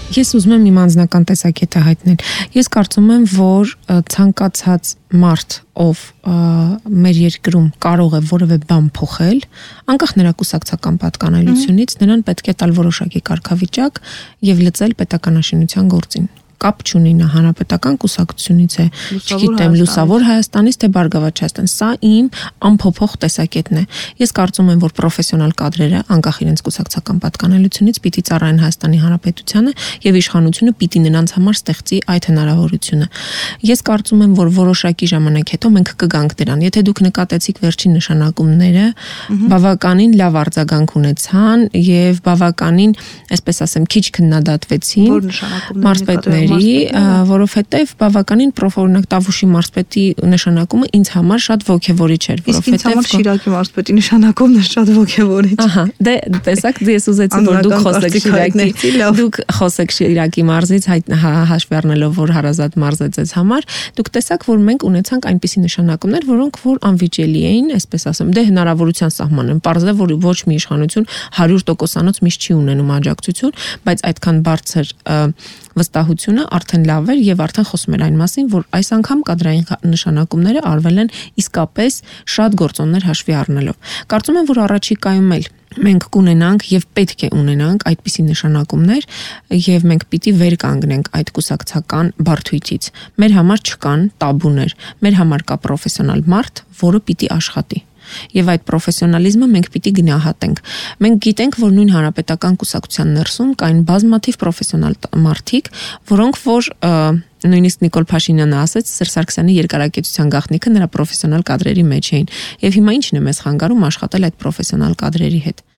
Ես ուզում եմ իմ անձնական տեսակետը հայտնել։ Ես կարծում եմ, որ ցանկացած մարդ, ով մեր երկրում կարող է որևէ բան փոխել, անկախ նրա կուսակցական պատկանելությունից, նրան պետք է տալ որոշակի կարգավիճակ եւ լծել պետականաշինության գործին։ Կապ չունի նա հանրապետական կուսակցությունից է, չգիտեմ, Լուսավոր Հայաստանից թե Բարգավաճ Հայաստան։ Սա իմ անփոփոխ տեսակետն է։ Ես կարծում եմ, որ պրոֆեսիոնալ կադրերը, անկախ իրենց կուսակցական պատկանելությունից, պիտի ծառայեն Հայաստանի Հանրապետությանը եւ իշխանությունը պիտի նրանց համար ստեղծի այդ հնարավորությունը։ Ես կարծում եմ, որ որոշակի ժամանակ հետո մենք կգանք դրան։ Եթե դուք նկատեցիք վերջին նշանակումները, բավականին լավ արձագանք ունեցան եւ բավականին, այսպես ասեմ, քիչ քննադատվեցին։ Որ նշանակումները Որովհետև բավականին օրինակ Տավուշի մարզպետի նշանակումը ինձ համար շատ ոգևորիչ էր, որովհետև ինձ համար Շիրակի մարզպետի նշանակումն է շատ ոգևորիչ։ Ահա, դե տեսակ ես ուզեցի որ դուք խոսեք Շիրակի մարզից, հաշվի առնելով որ հարազատ մարզ է ձեզ համար, դուք տեսաք որ մենք ունեցանք այնպիսի նշանակումներ, որոնք որ անվիճելի էին, այսպես ասեմ, դե հնարավորության սահման են, պարզ է որ ոչ մի իշխանություն 100%-անոց միշտ չի ունենում աջակցություն, բայց այդքան բարձր վստահությունը արդեն լավ էր եւ արդեն խոսում էր այն մասին, որ այս անգամ կադրային նշանակումները արվել են իսկապես շատ գործոններ հաշվի առնելով։ Կարծում եմ, որ առաջիկայում էլ մենք կունենանք եւ պետք է ունենանք այդպիսի նշանակումներ եւ մենք պիտի վեր կանգնենք այդ կուսակցական բարդույթից։ Մեր համար չկան տաբուներ, մեր համար կա պրոֆեսիոնալ մարդ, որը պիտի աշխատի։ Եվ այդ պրոֆեսիոնալիզմը մենք պիտի գնահատենք։ Մենք գիտենք, որ նույն հանրապետական կուսակցության ներսում կային բազմաթիվ պրոֆեսիոնալ մարդիկ, որոնք որ նույնիսկ Նիկոլ Փաշինյանը ասեց, Սերժ Սարգսյանի երկարակեցության գաղտնիքը նրա պրոֆեսիոնալ կադրերի մեջ էին։ Եվ հիմա ի՞նչն է մեզ խանգարում աշխատել այդ պրոֆեսիոնալ կադրերի հետ։